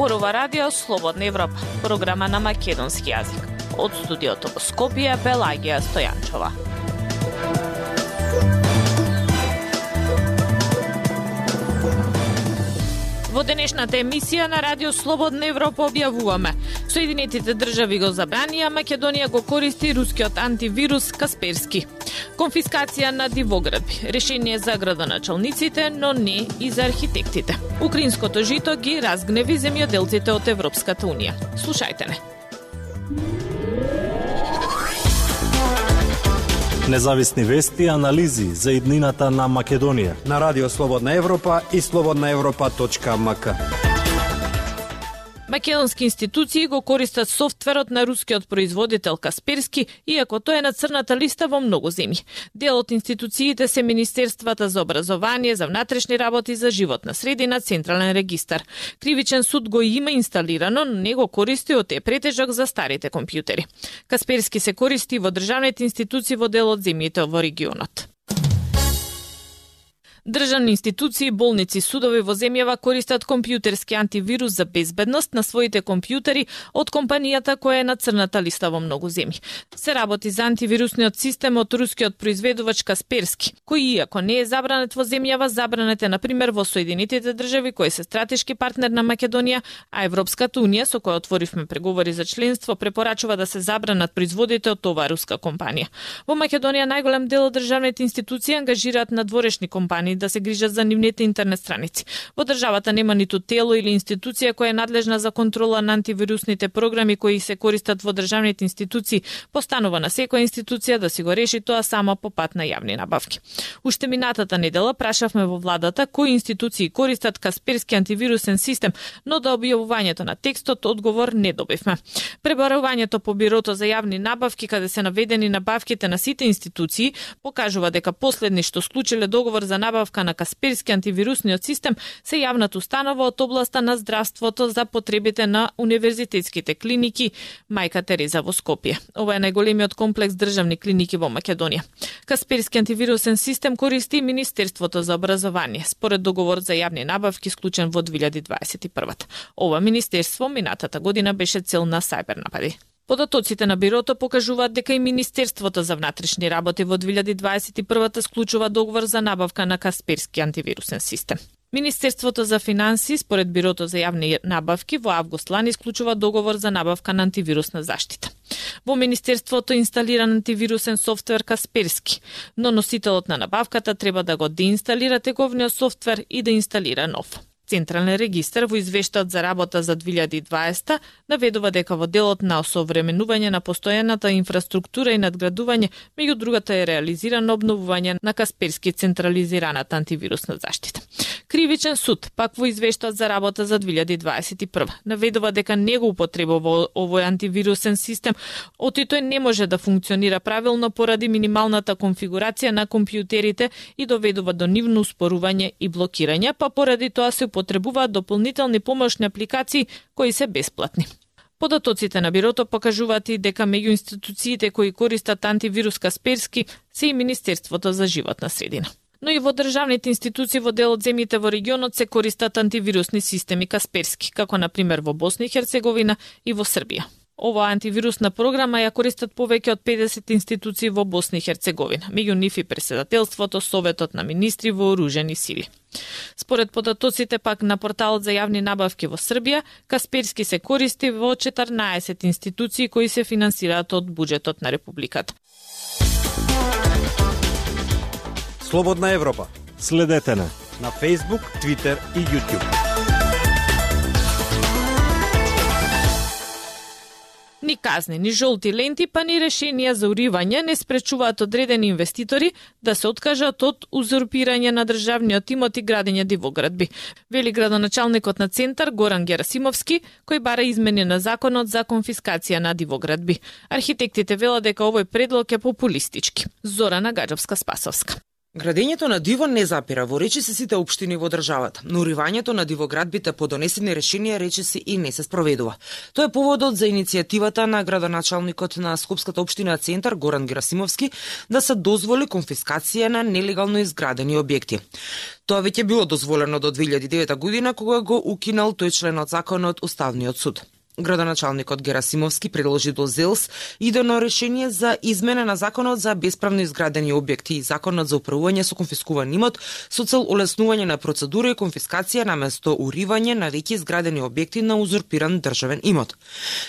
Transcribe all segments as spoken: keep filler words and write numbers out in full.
Зборува Радио Слободна Европа, програма на македонски јазик. Од студиото во Скопје, Пелагија Стојанчова. Во денешната емисија на Радио Слободна Европа објавуваме: Соединетите држави го забранија, Македонија го користи рускиот антивирус Касперски. Конфискација на дивоградби, решение за градоначалниците, но не и за архитектите. Украинското жито ги разгневи земјоделците од Европската унија. Слушајте не. Независни вести и анализи за иднината на Македонија на Радио Слободна Европа и слободна европа точка ем ка. Македонски институции го користат софтверот на рускиот производител Касперски, иако тој е на црната листа во многу земји. Дел од институциите се Министерствата за образование, за внатрешни работи, за животна средина, Централен регистар. Кривичен суд го има инсталирано, но не го користи, од е претежок за старите компјутери. Касперски се користи во државните институции во дел од земјите во регионот. Државни институции, болници, судови во земјава користат компјутерски антивирус за безбедност на своите компјутери од компанијата која е на црната листа во многу земји. Се работи за антивирусниот систем од рускиот произведувач Касперски, кој иако не е забранет во земјава, забранет е например во Соединетите држави кои се стратешки партнер на Македонија, а Европската унија, со која отворивме преговори за членство, препорачува да се забранат производите од оваа руска компанија. Во Македонија најголем дел од државните институции ангажираат надворешни компании да се грижат за нивните интернет страници. Во државата нема ниту тело или институција која е надлежна за контрола на антивирусните програми кои се користат во државните институции. Постанува на секоја институција да си го реши тоа само по пат на јавни набавки. Уште минатата недела прашавме во владата кои институции користат Касперски антивирусен систем, но до објавувањето на текстот одговор не добивме. Пребарувањето по Бирото за јавни набавки, каде се наведени набавките на сите институции, покажува дека последни што склучиле договор за набавка на Касперски антивирусниот систем се јавната установа од областа на здравството за потребите на универзитетските клиники Мајка Тереза во Скопје. Ова е најголемиот комплекс државни клиники во Македонија. Касперски антивирусен систем користи Министерството за образование, според договор за јавни набавки склучен во две илјади дваесет и прва. Ова министерство минатата година беше цел на сајбер напади. Податоците на Бирото покажуваат дека и Министерството за внатрешни работи во две илјади дваесет и прва склучува договор за набавка на Касперски антивирусен систем. Министерството за финанси, според Бирото за јавни набавки, во август лани склучува договор за набавка на антивирусна заштита. Во Министерството инсталиран антивирусен софтвер Касперски, но носителот на набавката треба да го деинсталира тековниот софтвер и да инсталира нов. Централен регистар во извештајот за работа за две илјади дваесета наведува дека во делот на осовременување на постојаната инфраструктура и надградување, меѓу другата е реализирано обновување на Касперски централизираната антивирусна заштита. Кривичен суд, пак во извештајот за работа за две илјади дваесет и прва, наведува дека не го употребува овој антивирусен систем, оти тој не може да функционира правилно поради минималната конфигурација на компјутерите и доведува до нивно успорување и блокирање, па поради тоа се потребуваат дополнителни помошни апликации кои се бесплатни. Податоците на Бирото покажуваат и дека меѓу институциите кои користат антивирус Касперски се и Министерството за животна средина. Но и во државните институции во дел од земјите во регионот се користат антивирусни системи Касперски, како на пример во Босна и Херцеговина и во Србија. Оваа антивирусна програма ја користат повеќе од педесет институции во Босна и Херцеговина, меѓу нив и Председателството, Советот на министри во оружени сили. Според податоците пак на порталот за јавни набавки во Србија, Касперски се користи во четрнаесет институции кои се финансираат од буџетот на Републиката. Слободна Европа. Следете на на Facebook, Twitter и YouTube. Ни казни, ни жолти ленти, па ни решенија за уривање не спречуваат одредени инвеститори да се откажат од узурпирање на државниот имот и градење дивоградби. Вели градоначалникот на Центар Горан Герасимовски, кој бара измени на законот за конфискација на дивоградби. Архитектите велат дека овој предлог е популистички. Зорана Гаджовска-Спасовска. Градењето на диво не запира во речиси сите општини во државата, но уривањето на дивоградбите по донесени решенија речиси и не се спроведува. Тоа е поводот за иницијативата на градоначалникот на Скопската општина Центар Горан Герасимовски да се дозволи конфискација на нелегално изградени објекти. Тоа веќе било дозволено до две илјади и девета година кога го укинал тој член од законот Уставниот суд. Градоначалникот Герасимовски предложи до ЗЕЛС идено решение за измена на законот за бесправно изградени објекти и законот за управување со конфискуван имот со цел олеснување на процедура и конфискација наместо уривање на веќе изградени објекти на узурпиран државен имот.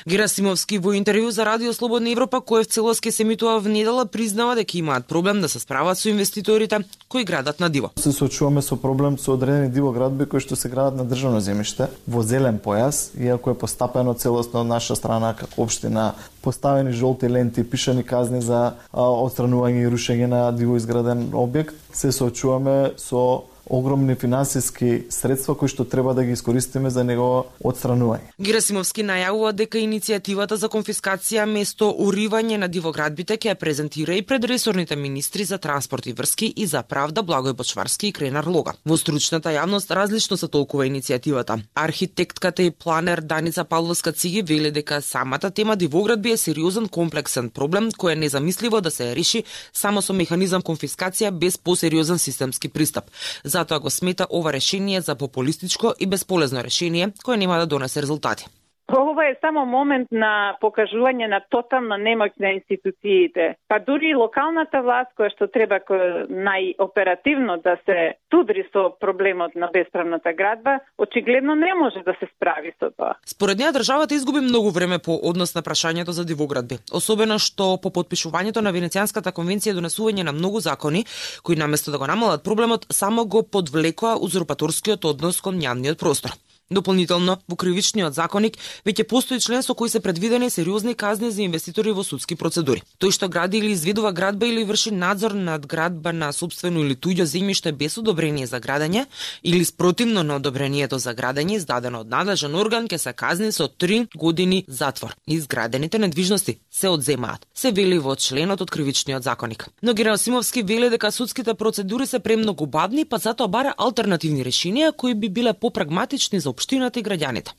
Герасимовски во интервју за Радио Слободна Европа, кој в целост ке се емитува во недела, признава дека имаат проблем да се справат со инвеститорите кои градат на диво. Се соочуваме со проблем со одредени дивоградби кои што се градат на државно земјиште во зелен појас, иако е постапено целосно од наша страна како општина, поставени жолти ленти, пишани казни за а, отстранување и рушење на диво изграден објект, се соочуваме со огромни финансиски средства кои што треба да ги искористиме за негово отстранување. Герасимовски најавува дека иницијативата за конфискација место уривање на дивоградбите ќе ја презентира и пред ресорните министри за транспорт и врски и за правда Благој Бочварски и Кренар Лога. Во стручната јавност различно се толкува иницијативата. Архитектката и планер Даница Павловска Циги вели дека самата тема дивоградби е сериозен комплексен проблем кој е незамисливо да се реши само со механизам конфискација без посериозен системски пристап. Затоа го смета ова решение за популистичко и безполезно решение кое нема да донесе резултати. Ова е само момент на покажување на тотална немоќ на институциите. Па дури локалната власт која што треба најоперативно да се судри со проблемот на бесправната градба, очигледно не може да се справи со тоа. Според неа државата изгуби многу време по однос на прашањето за дивоградби, особено што по потпишувањето на Венецијанската конвенција донесување на многу закони кои наместо да го намалат проблемот само го подвлекоа узурпаторскиот однос кон јавниот простор. Дополнително, во кривичниот законник веќе постои член со кој се предвидени сериозни казни за инвеститори во судски процедури. Тој што гради или изведува градба или врши надзор над градба на сопствено или туѓо земјиште без одобрение за градење или спротивно на одобрението за градење издадено од надлежен орган ќе се казни со три години затвор. Изградените недвижности се одземаат, се вели во членот од кривичниот законник. Но Герасимовски вели дека судските процедури се премногу бавни, па затоа бара алтернативни решенија кои би биле попрагматични за општината и граѓаните.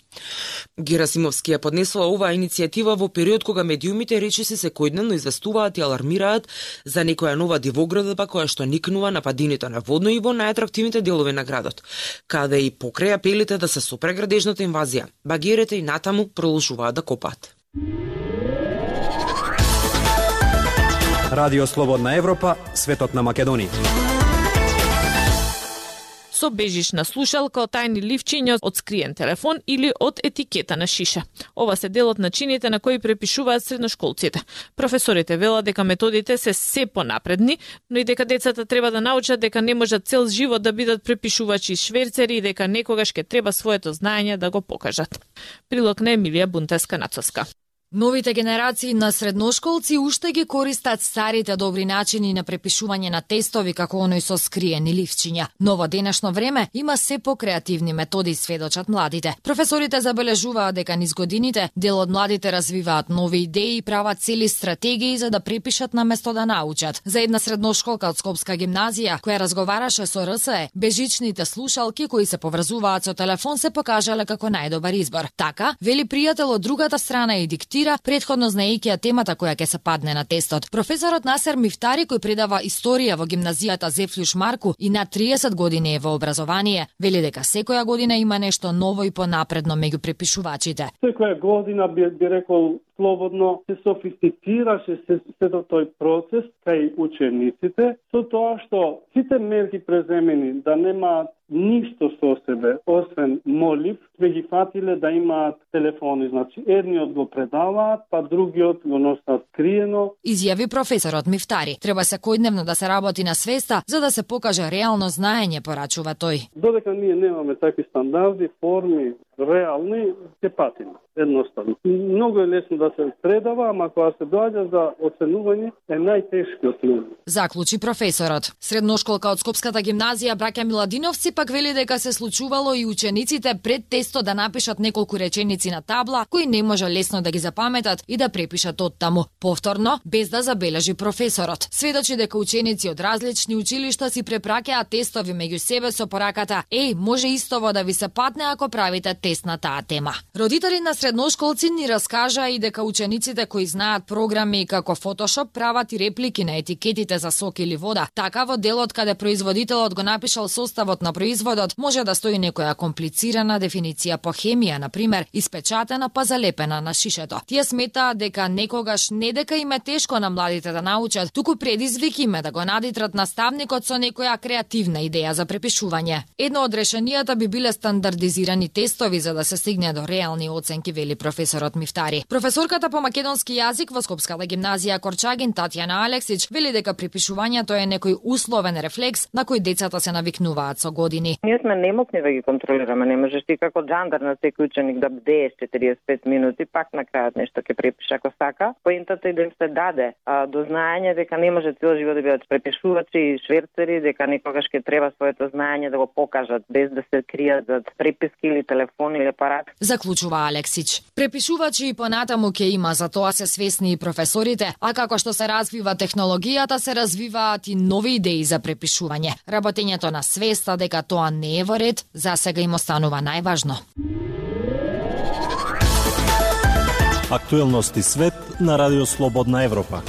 Герасимовски ја поднесува оваа иницијатива во период кога медиумите речиси секојдневно известуваат и алармираат за некоја нова дивоградба која што никнува на падините на водно и во најатрактивните делови на градот, каде и покрај апелите да се сопре градежната инвазија, багерите и натаму продолжуваат да копаат. Радио Слободна Европа, светот на Македонија. Со бежична слушалка, од тајни ливчиња, од скриен телефон или од етикета на шиша. Ова се дел од начините на кои препишуваат средношколците. Професорите велат дека методите се се понапредни, но и дека децата треба да научат дека не можат цел живот да бидат препишувачи и шверцери и дека некогаш ќе треба своето знаење да го покажат. Прилог на Емилија Бунтеска-Нацовска. Новите генерации на средношколци уште ги користат старите добри начини на препишување на тестови како оној со скриени ливчиња. Но во денешно време има се покреативни методи, сведочат младите. Професорите забележуваат дека низ годините дел од младите развиваат нови идеи и прават цели стратегии за да препишат наместо да научат. За една средношколка од Скопска гимназија која разговараше со РСЕ, бежичните слушалки кои се поврзуваат со телефон се покажале како најдобар избор. Така, вели пријател од другата страна и диктира предходно знаејќи темата која ќе се падне на тестот. Професорот Насер Мифтари, кој предава историја во гимназијата Зефлюш Марку и на триесет години е во образование, вели дека секоја година има нешто ново и понапредно меѓу препишувачите. Секоја година би, би рекол слободно се софистицираше се, се до тој процес кај учениците, со тоа што сите мерки преземени да немаат ништо со себе, освен молив, сме ги фатиле да имаат телефони. Значи, едниот го предаваат, па другиот го носат скриено. Изјави професорот Мифтари. Треба секојдневно да се работи на свеста, за да се покаже реално знаење, порачува тој. Додека ние немаме такви стандарди, форми, реални, ќе патиме. Едноставно. Многу е лесно да се предава, ама кога се доаѓа за оценување е најтешкиот момент. Заклучи професорот. Средношколка од Скопската гимназија Браќа Миладиновци пак вели дека се случувало и учениците пред тесто да напишат неколку реченици на табла кои не може лесно да ги запаметат и да препишат оттаму. Повторно, без да забележи професорот. Сведочи дека ученици од различни училишта си препраќаат тестови меѓу себе со пораката: "Еј, може истово да ви се патне ако правите тест на таа тема." Родители на средношколци ни раскажа и дека учениците кои знаат програми како Photoshop прават и реплики на етикетите за сок или вода. Така во делот каде производителот го напишал составот на производот, може да стои некоја комплицирана дефиниција по хемија, на пример, испечатена па залепена на шишето. Тие сметаат дека некогаш не дека им е тешко на младите да научат, туку предизвик им е да го надитрат наставникот со некоја креативна идеја за препишување. Едно од решенијата би биле стандардизирани тестови за да се стигне до реални оценки, вели професорот Мифтари. Професорката по македонски јазик во Скопската гимназија Корчагин Татјана Алексич вели дека препишувањето е некој условен рефлекс на кој децата се навикнуваат со години. Ние сме немокни да ги контролираме, не можеш ти како джандар на секој ученик да бдееш четириесет и пет минути, пак на крајот нешто ќе препише ако сака. Поентата е да им се даде а, до знаење дека не може цел живот да бидат препишувачи и шверцери, дека некогаш ќе треба своето знаење да го покажат без да се кријат зад преписки или телефон или апарат. Заклучува Алексич. Препишувачи и понатаму ќе има, за тоа се свесни и професорите, а како што се развива технологијата, се развиваат и нови идеи за препишување. Работењето на свеста дека тоа не е во ред, за сега им останува најважно. Актуелности свет на Радио Слободна Европа.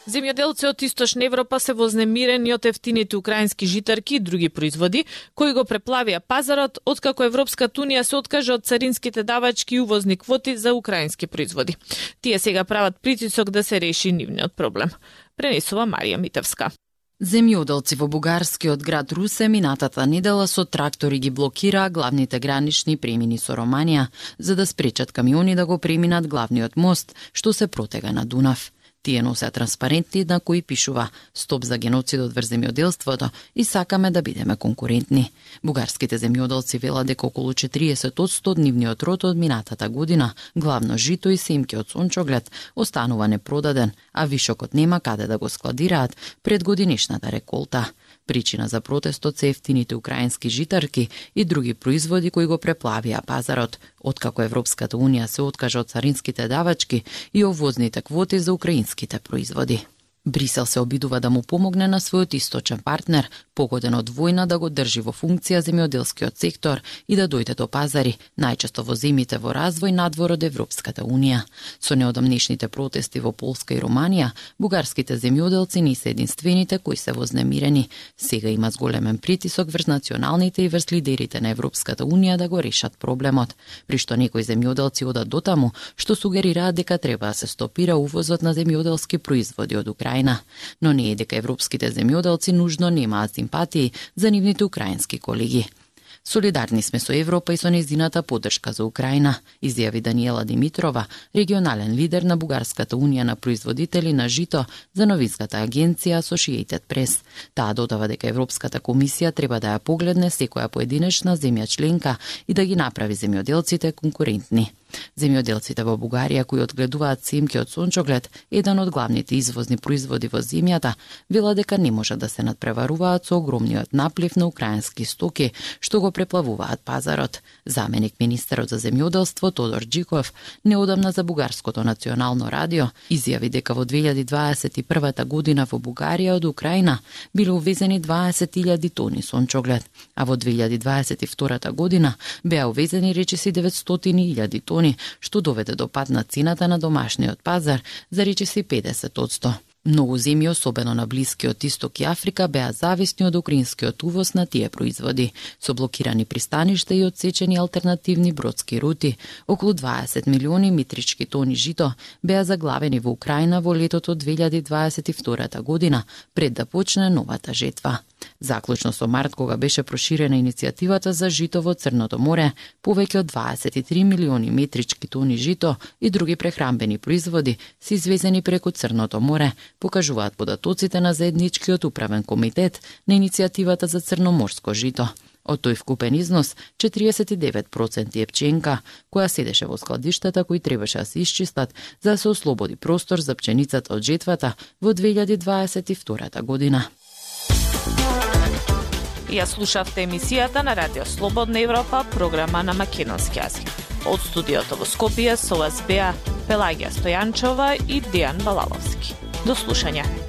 Земјоделци од Источна Европа се вознемирени од ефтините украински житарки и други производи, кои го преплавија пазарот, откако Европската унија се откажа од царинските давачки и увозни квоти за украински производи. Тие сега прават притисок да се реши нивниот проблем. Пренесува Марија Митевска. Земјоделци во бугарскиот град Русе минатата недела со трактори ги блокираа главните гранични премини со Романија, за да спречат камиони да го преминат главниот мост, што се протега на Дунав. Тие носеа транспаренти на кои пишува "Стоп за геноцидот врз земјоделството" и "Сакаме да бидеме конкурентни". Бугарските земјоделци велат дека околу четириесет одсто од нивниот род од минатата година, главно жито и семки од сончоглед, останува непродаден, а вишокот нема каде да го складираат пред годинишната реколта. Причина за протестот се ефтините украински житарки и други производи кои го преплавија пазарот, откако Европската унија се откажа од царинските давачки и овозните квоти за украинските производи. Брисел се обидува да му помогне на својот источен партнер, погоден од војна, да го држи во функција земјоделскиот сектор и да дојде до пазари, најчесто во земјите во развој надвор од Европската унија. Со неодамнешните протести во Полска и Романија, бугарските земјоделци не се единствените кои се вознемирени. Сега има зголемен притисок врз националните и врз лидерите на Европската унија да го решат проблемот, при што некои земјоделци одат дотаму што сугерираат дека треба да се стопира увозот на земјоделски производи од Украина. Но не е дека европските земјоделци нужно немаат симпатии за нивните украински колеги. Солидарни сме со Европа и со нејзината поддршка за Украина, изјави Даниела Димитрова, регионален лидер на Бугарската унија на производители на жито за новинската агенција Associated Press. Таа додава дека Европската комисија треба да ја погледне секоја поединечна земја членка и да ги направи земјоделците конкурентни. Земјоделците во Бугарија кои одгледуваат семки од сончоглед, еден од главните извозни производи во земјата, вела дека не може да се надпреваруваат со огромниот наплив на украински стоки што го преплавуваат пазарот. Заменик министерот за земјоделство Тодор Джиков неодамна за Бугарското национално радио изјави дека во две илјади дваесет и прва година во Бугарија од Украина биле увезени дваесет илјади тони сончоглед, а во две илјади дваесет и втора година беа увезени речиси деветстотини илјади тони, што доведе до пад на цената на домашниот пазар за речиси педесет одсто. Многу земји, особено на Блискиот Исток и Африка, беа зависни од украинскиот увоз на тие производи, со блокирани пристаништа и одсечени алтернативни бродски рути. Околу дваесет милиони метрички тони жито беа заглавени во Украина во летото две илјади дваесет и втора година, пред да почне новата жетва. Заклучно со март, кога беше проширена иницијативата за жито во Црното море, повеќе од дваесет и три милиони метрички тони жито и други прехранбени производи се извезени преку Црното море, покажуваат податоците на заедничкиот управен комитет на иницијативата за црноморско жито. Од тој вкупен износ, четириесет и девет проценти е пченка, која седеше во складиштата кои требаше да се исчистат за да се ослободи простор за пченицата од жетвата во две илјади дваесет и втора година. Ја слушавте емисијата на Радио Слободна Европа, програма на македонски јазик. Од студиото во Скопје со вас беа Пелагија Стојанчова и Дејан Балаловски. До слушање.